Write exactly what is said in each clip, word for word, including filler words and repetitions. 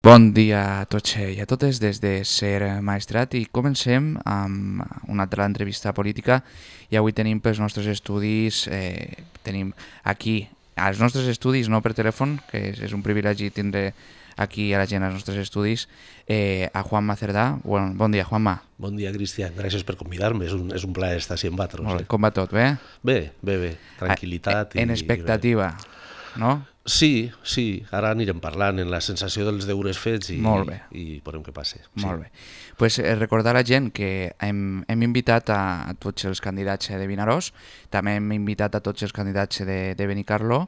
Bon dia a tots i a totes des de Ser Maestrat i comencem amb una altra entrevista política i avui tenim pels nostres estudis, eh, tenim aquí als nostres estudis, no per telèfon, que és, és un privilegi tindre aquí a la gent als nostres estudis, eh, a Juanma Cerdà. Bon, bon dia, Juanma. Bon dia, Cristian. Gràcies per convidar-me. És un, és un plaer estar així amb vosaltres. Molt bé. Eh? Com va tot, bé? Bé, bé, bé. Tranquil·litat. En i, expectativa, i no? Sí, sí. Ara anirem parlant en la sensació dels deures fets i, Molt bé. i, i veurem què passa. Sí. Molt bé. Pues, eh, recordar a la gent que hem, hem invitat a, a tots els candidats de Vinaròs, també hem invitat a tots els candidats de, de Benicarló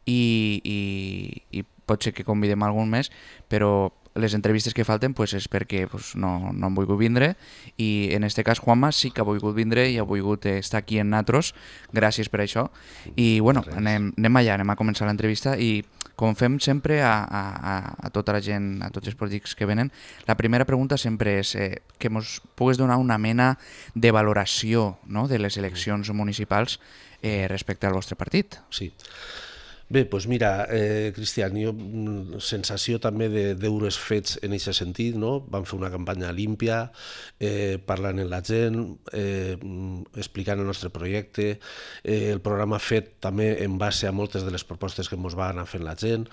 i, i, i pot ser que convidem algun més, però les entrevistes que falten pues, és perquè pues, no, no han volgut vindre i en aquest cas Juanma sí que ha volgut vindre i ha volgut estar aquí en nosaltres, gràcies per això i bueno, anem, anem allà, anem a començar l'entrevista i com fem sempre a, a, a tota la gent, a tots els polítics que venen, la primera pregunta sempre és eh, que ens pugues donar una mena de valoració, no?, de les eleccions municipals eh, respecte al vostre partit. Sí. Bé, doncs mira, eh, Cristian, jo, sensació també de deures fets en aquest sentit, no? Vam fer una campanya límpia, eh, parlant amb la gent, eh, explicant el nostre projecte, eh, el programa fet també en base a moltes de les propostes que ens va anar fent la gent,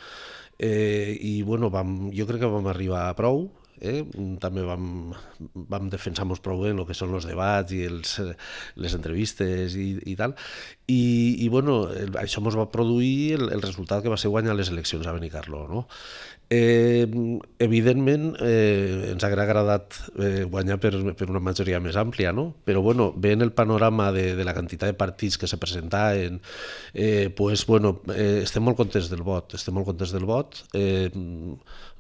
eh, i bueno, vam, jo crec que vam arribar a prou. Eh? També vam, vam defensar-nos prou bé en el que són els debats i els, les entrevistes i, i tal, i, i bueno, el, això ens va produir el, el resultat que va ser guanyar les eleccions a Benicarló, no? Eh, evidentment eh, ens hauria agradat eh, guanyar per, per una majoria més àmplia, no? Però bueno, veient el panorama de, de la quantitat de partits que se presentaven, eh, pues, bueno, eh, estem molt contents del vot, estem molt contents del vot, eh,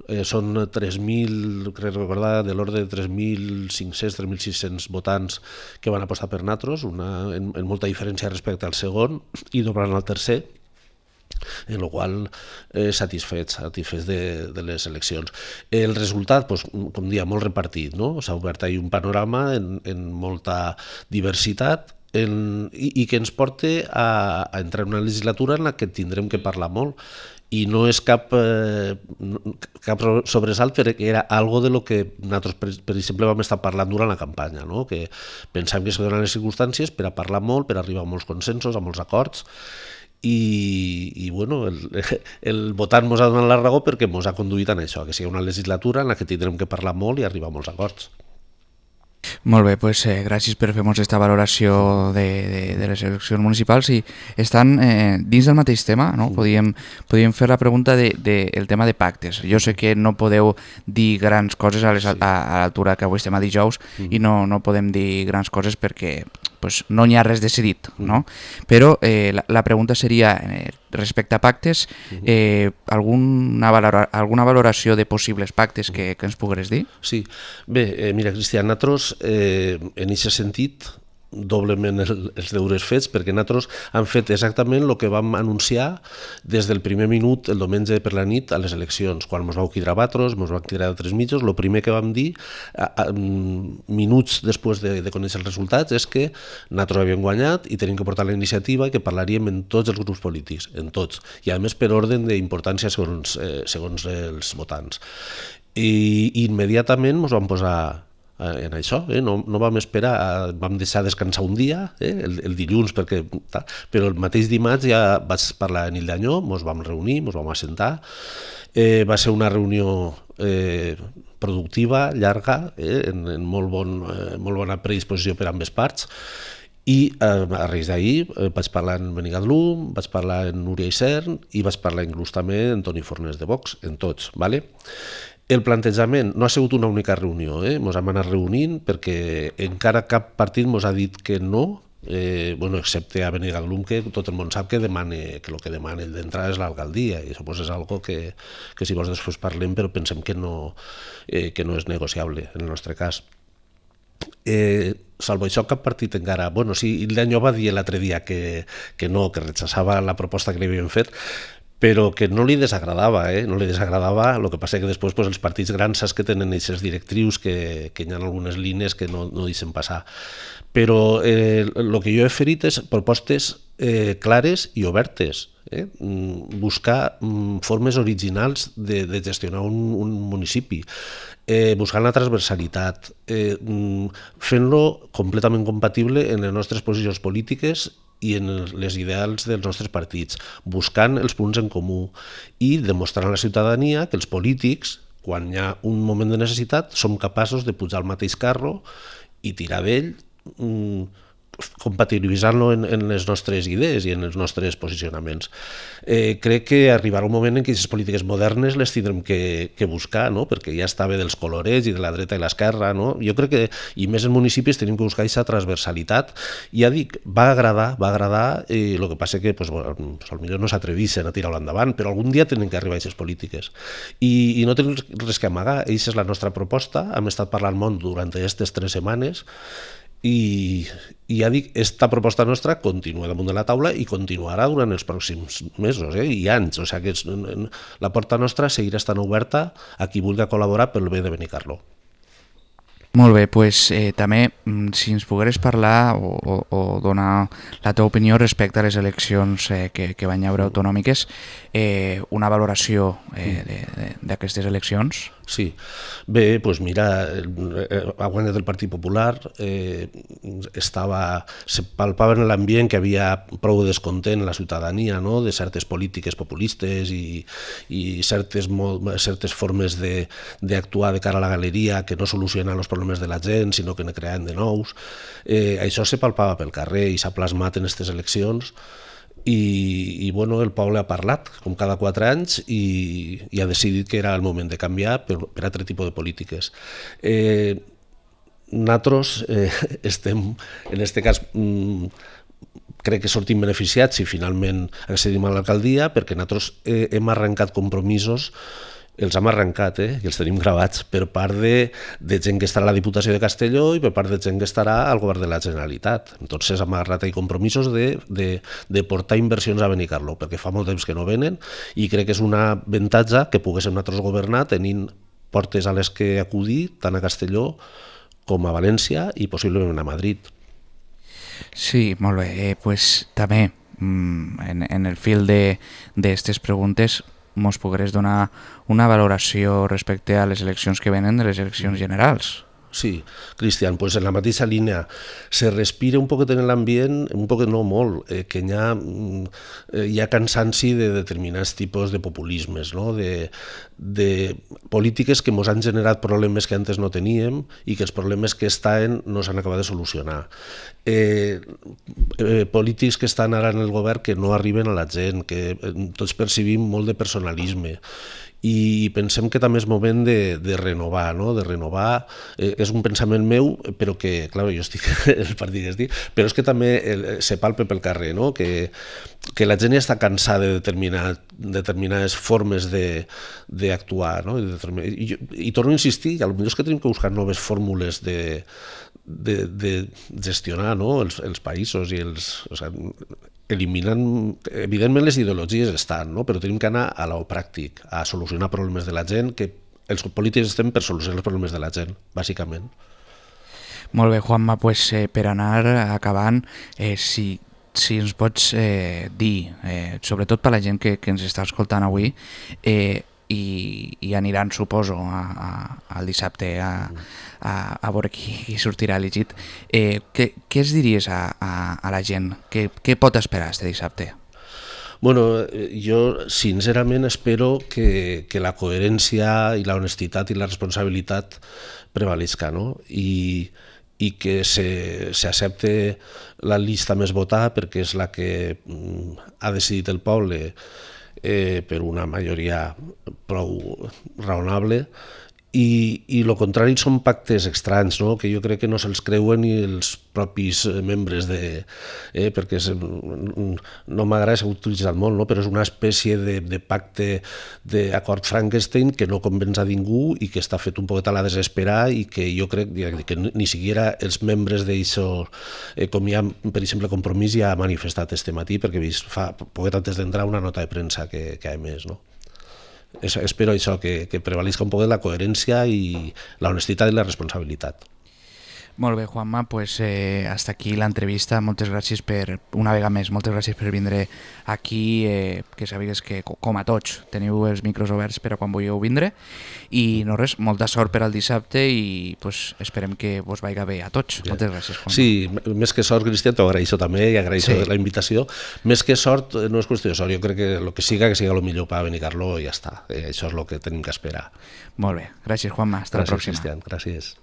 eh, són tres mil, crec recordar, de l'ordre de tres mil cinc-cents tres mil sis-cents votants que van apostar per nosaltres, una, en, en molta diferència respecte al segon i doblant al tercer, en el qual eh, satisfets, satisfets de, de les eleccions. El resultat, doncs, com dia, molt repartit, no? S'ha obert ahí un panorama en, en molta diversitat en, i, i que ens porta a, a entrar en una legislatura en la que tindrem que parlar molt i no és cap, eh, cap sobresalt perquè era algo de lo que nosaltres, per, per exemple, vam estar parlant durant la campanya, no? Que pensàvem que se donen les circumstàncies per a parlar molt, per a arribar a molts consensos, a molts acords, i, i bueno, el, el votant ens ha donat la raó perquè ens ha conduït en això, que sigui una legislatura en la que tindrem que parlar molt i arribar a molts acords. Molt bé, doncs, eh, gràcies per fer-nos aquesta valoració de, de, de les eleccions municipals i estan eh, dins del mateix tema, no? Podíem, podíem fer la pregunta del de, de, tema de pactes. Jo sé que no podeu dir grans coses a, les, a, a l'altura que avui estem a dijous mm. i no, no podem dir grans coses perquè pues, no n'hi ha res decidit, no? Però eh, la, la pregunta seria, eh, respecte a pactes, eh, alguna, valora, alguna valoració de possibles pactes que, que ens pogueres dir? Sí. Bé, eh, mira, Cristian, nosaltres eh, en aquest sentit doblement el, els deures fets perquè nosaltres hem fet exactament el que vam anunciar des del primer minut el diumenge per la nit a les eleccions. Quan ens vau cridar a vosaltres, ens vau cridar a altres mitjos, el primer que vam dir a, a, minuts després de, de conèixer els resultats és que nosaltres havíem guanyat i tenim que portar la iniciativa i que parlaríem en tots els grups polítics, en tots, i a més per ordre d'importància segons, eh, segons els votants. I, i immediatament ens vam posar en això, eh? no, no vam esperar, vam deixar descansar un dia, eh? el, el dilluns, perquè, però el mateix dimarts ja vaig parlar a Nil d'Anyó, ens vam reunir, ens vam assentar, eh, va ser una reunió eh, productiva, llarga, eh? en, en molt, bon, eh, molt bona predisposició per ambes parts, i eh, a raïs d'ahir eh, vaig parlar amb Benicarló, vaig parlar amb Núria Isern i vaig parlar inclús també amb Toni Fornés de Vox, en tots, ¿vale? El plantejament no ha sigut una única reunió, eh? Ens hem anat reunint perquè encara cap partit ens ha dit que no, eh, bueno, excepte a Benicarló, que tot el món sap que, demane, que el que demana d'entrada és l'alcaldia, i això pues, és algo que, que si vols després parlem, però pensem que no, eh, que no és negociable en el nostre cas. Eh, salvo això, cap partit encara... Bueno, sí, Nil d'Anyó va dir l'altre dia que, que no, que rechazava la proposta que li havien fet, però que no li desagradava, eh? no li desagradava, el que passa que després pues, els partits grans saps que tenen aquestes directrius que, que hi ha algunes línies que no, no deixen passar. Però el eh, que jo he ferit és propostes eh, clares i obertes, eh? buscar mm, formes originals de, de gestionar un, un municipi, eh, buscant la transversalitat, eh, fent-lo completament compatible en les nostres posicions polítiques i en les ideals dels nostres partits, buscant els punts en comú i demostrant a la ciutadania que els polítics, quan hi ha un moment de necessitat, som capaços de pujar al mateix carro i tirar d'ell, compatibilitzant-lo en, en les nostres idees i en els nostres posicionaments. Eh, crec que arribarà un moment en què aquestes polítiques modernes les tindrem que, que buscar, no? Perquè ja està bé dels colorets i de la dreta i l'esquerra. No? Jo crec que, i més en municipis, tenim que buscar aquesta transversalitat. I ja dic, va agradar, va agradar, i el que passa que pues, bueno, potser no s'atrevissin a tirar-ho endavant, però algun dia tenen que arribar a aquestes polítiques. I, i no tenim res que amagar, aquesta és la nostra proposta, hem estat parlant molt durant aquestes tres setmanes, i, i ja dic, esta proposta nostra continua damunt de la taula i continuarà durant els pròxims mesos eh, i anys, o sigui que la porta nostra seguirà estant oberta a qui vulgui col·laborar pel bé de Benicarló. Molt bé, doncs eh, també si ens pogueres parlar o, o, o donar la teva opinió respecte a les eleccions eh, que, que van haver autonòmiques, eh, una valoració eh, d'aquestes eleccions? Sí, bé, doncs mira, ha guanyat el Partit Popular, eh, estava, se palpava en l'ambient que havia prou descontent la ciutadania, no?, de certes polítiques populistes i, i certes, certes formes d'actuar de, de cara a la galeria que no solucionen els problemes de la gent, sinó que ne creen de nous. Eh, això se palpava pel carrer i s'ha plasmat en aquestes eleccions. I, i bueno, el poble ha parlat, com cada quatre anys, i, i ha decidit que era el moment de canviar per, per altre tipus de polítiques. Eh, nosaltres eh, estem, en aquest cas, mm, crec que sortim beneficiats si finalment accedim a l'alcaldia, perquè nosaltres eh, hem arrencat compromisos, els hem arrencat, eh, i els tenim gravats per part de, de gent que estarà a la Diputació de Castelló i per part de gent que estarà al Govern de la Generalitat. Entonces hem agarrat ahí compromisos de, de, de portar inversions a Benicarló, perquè fa molt temps que no venen i crec que és una avantatge que poguéssim nosaltres governar tenint portes a les que acudir tant a Castelló com a València i possiblement a Madrid. Sí, molt bé. Eh, pues, també en, en el fil d'aquestes preguntes mos pogués donar una valoració respecte a les eleccions que venen de les eleccions generals. Sí, Cristian, pues en la mateixa línia se respira un poquet en l'ambient, un poquet no molt, eh, que hi ha, eh, hi ha cansanci de determinats tipus de populismes, no? de, de polítiques que ens han generat problemes que antes no teníem i que els problemes que estan no s'han acabat de solucionar. Eh, eh, polítics que estan ara en el govern que no arriben a la gent, que tots percibim molt de personalisme, i pensem que també és moment de, de renovar, no? de renovar, eh, és un pensament meu, però que, clar, jo estic el partit que estic, però és que també el, se palpe pel carrer, no? que, que la gent ja està cansada de determinar, determinades formes d'actuar, no? I, i, i torno a insistir, potser és que tenim que buscar noves fórmules de, de, de gestionar, no? els, els països i els... O sigui, eliminant, evidentment les ideologies estan, no? Però tenim que anar a lo pràctic, a solucionar problemes de la gent, que els polítics estem per solucionar els problemes de la gent, bàsicament. Molt bé, Juanma, pues, eh, per anar acabant, eh, si, si ens pots eh, dir, eh, sobretot per la gent que, que ens està escoltant avui, eh, i, i aniran, suposo, a, a, al dissabte a, a, a veure qui, qui sortirà elegit. Eh, què, què es diries a, a, a la gent? Què, què pot esperar este dissabte? Bueno, jo sincerament espero que, que la coherència i la honestitat i la responsabilitat prevalesca, no? I, i que s'accepte la llista més votada perquè és la que ha decidit el poble, Eh, per una majoria prou raonable i, i el contrari són pactes estranys, no? Que jo crec que no se'ls creuen ni els propis membres de... Eh, perquè és, no m'agrada, s'ha utilitzat molt, no? Però és una espècie de, de pacte d'acord Frankenstein que no convenç a ningú i que està fet un poquet a la desesperar i que jo crec que ni siquiera els membres d'això, eh, com hi ha, per exemple, Compromís ja ha manifestat este matí, perquè he vist fa poquet antes d'entrar una nota de premsa que, que ha emès, no? Espero això, que, que prevalisca un poc la coherència i la honestitat i la responsabilitat. Molt bé, Juanma, pues eh, hasta aquí l'entrevista. Moltes gràcies per, una vegada més, moltes gràcies per vindre aquí, eh, que sàpigues que, com a tots, teniu els micros oberts per a quan vulgueu vindre. I no res, molta sort per al dissabte i pues, esperem que vos vaiga bé a tots. Bien. Moltes gràcies, Juanma. Sí, més que sort, Cristian, t'ho agraeixo també i agraeixo sí. la invitació. Més que sort, no és qüestió de sort, jo crec que el que siga, que siga el millor per Benicarló i ja està. Eh, això és el que tenim que esperar. Molt bé, gràcies, Juanma. Hasta gràcies, la pròxima. Cristian, gràcies.